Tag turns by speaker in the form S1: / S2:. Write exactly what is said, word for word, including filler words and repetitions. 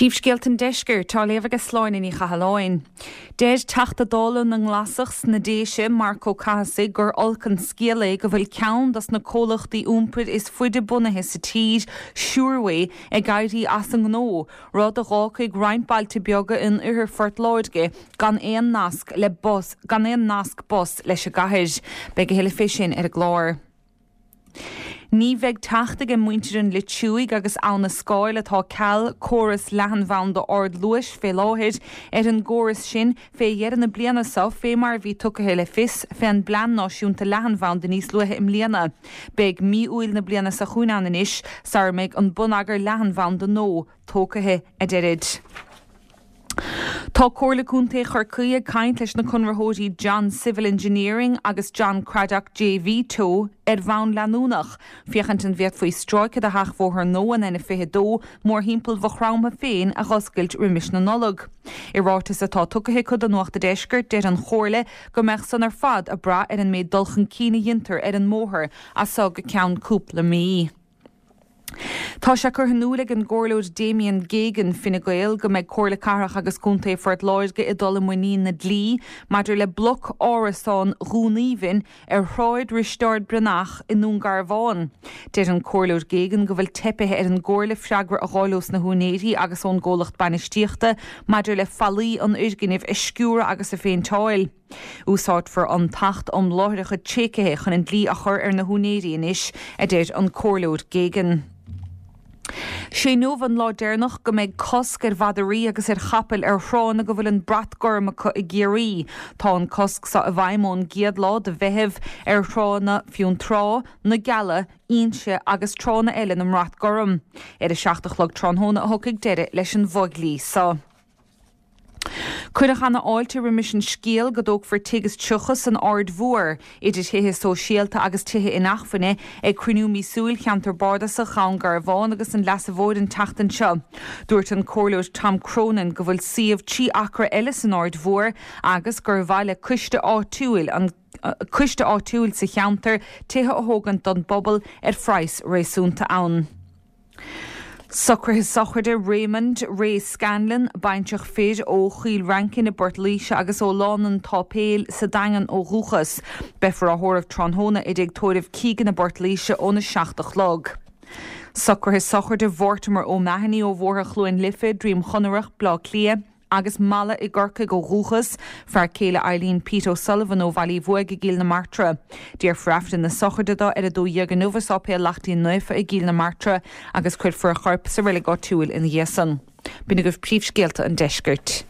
S1: Príomhscéalta an Deiscirt á léamh ag Sláine Ní Chathalláin. Deir Teachta Dála na nGlasach sna Déise Marc Ó Cathasaigh gur olc an scéal é go bhfuil ceann dos na comhlachtaí iompair is faide bunaithe sa tír Suirway ag éirí as an ngnó, rud a d'fhágfaidh roinnt bailte beaga in oirthear Phort Láirge gan aon nasc le bus gan aon nasc bus leis an gcathair. Beidh a thuilleadh fé sin ar an gclár. Ní bheidh teacht ag muintir an Leitriúigh agus Abha na Scáil atá ceal córas leathanbhanda ardluais fé láthair ar an gcóras sin fé dheireadh na bliana seo fé mar bhí tugtha le fios fén bplean náisiúnta leathanbhanda níos luaithe i mbliana. Beidh mí Iúil na bliana seo chugainn ann anois sara mbeidh an bonneagar leathanbhanda nua tógtha a deirid. Tá Comhairle Contae Chorcaí ag caint leis na conraitheoirí John Civil Engineering agus John Craddock JV Teo ar bhonn leanúnach. Féachaint an bhféadfaí stráice de sheachbhóthar nua an N fiche dó mórthimpeall Mhaigh Chromtha féin a dh'oscailt roimis na Nollag. I ráiteas atá tugtha acu do Nuacht an Deiscirt deir an Chomhairle go mbeadh san ar fad ag brath ar an méid dul chun cinn a dhéantar ar an mbóthar as seo go ceann cúpla mí. Tá sé curtha in iúl ag an gcomhairleoir Damien Geoghegan Fine Gael go mbeidh Comhairle Cathrach agus Contae Phort Láirge ag dul i muinín na dlí maidir le bloc árasán Dhún Aoibhinn ar Shráid Risteard Breathnach i nDún Garbhán. Deir an comhairleoir Geoghegan go bhfuil teipthe ar an gcomhairle freagra a fháil ós na húinéirí agus ón gcomhlacht bainistíochta maidir le fallaí an fhoirgnimh a sciúradh agus a phéinteáil. Úsáidfear an tAcht um Láithreacha Tréigthe chun an dlí a chur ar na húinéirí anois, a deir an comhairleoir Geoghegan. Sé inniu an lá deireanach go mbeidh cosc ar mhadraí agus ar chapaill ar thránna go bhfuil an brat gorm acu i gCiarraí. Tá an cosc seo i bhfeidhm ón gcéad lá de Mheitheamh ar thránna Fionntrá, na Geala, Inse agus tránna eile na mbrat gorm. Ar a seacht a chlog tráthnóna a thiocfaidh deireadh leis an bhfodhlí seo. Cuireadh ana-fháilte roimis an scéal go dtógfar tigh is tríocha san Aird Mhór, idir thithe sóisialta agus tithe inacmhainne, ag cruinniú míosúil cheantar bardasach Dhún Garbhán agus an Leasa Mhóir an tseachtain seo. Dúirt an comhairleoir Tom Cronin go bhfuil suíomh trí acra eile san Aird Mhór agus gur mhaith le coiste áitiúil an coiste áitiúil sa cheantar tithe a thógaint don bpobal ar phraghas réasúnta ann. Socruithe sochraide Raymond Ray Scanlon, baintreach fir ó Chill Rancin i bPort Laoise agus ó Lána an tSáipéil sa Daingean ó dhúchas. Beifear á thórramh tráthnóna i dTigh Tórraimh Keegan i bPort Laoise óna seacht a chlog. Socruithe sochraide Mhortimer O'Mahony ó Bhóthar Chluain Life, Droim Chonrach, Bleá Cliath, agus Mala i gCorcaigh ó dhúchas, fear céile Eileen Pete O'Sullivan ó Bhaile Uí Bhuaigh i gCill na Martra. Déarfar Aifreann na sochraide dó ar a dó dhéag inniu i Sáipéal Lachtaín Naofa i gCill na Martra agus cuirfear a chorp sa reilig áitiúil ina dhiaidh san. B'in agaibh príomhscéalta an deiscirt.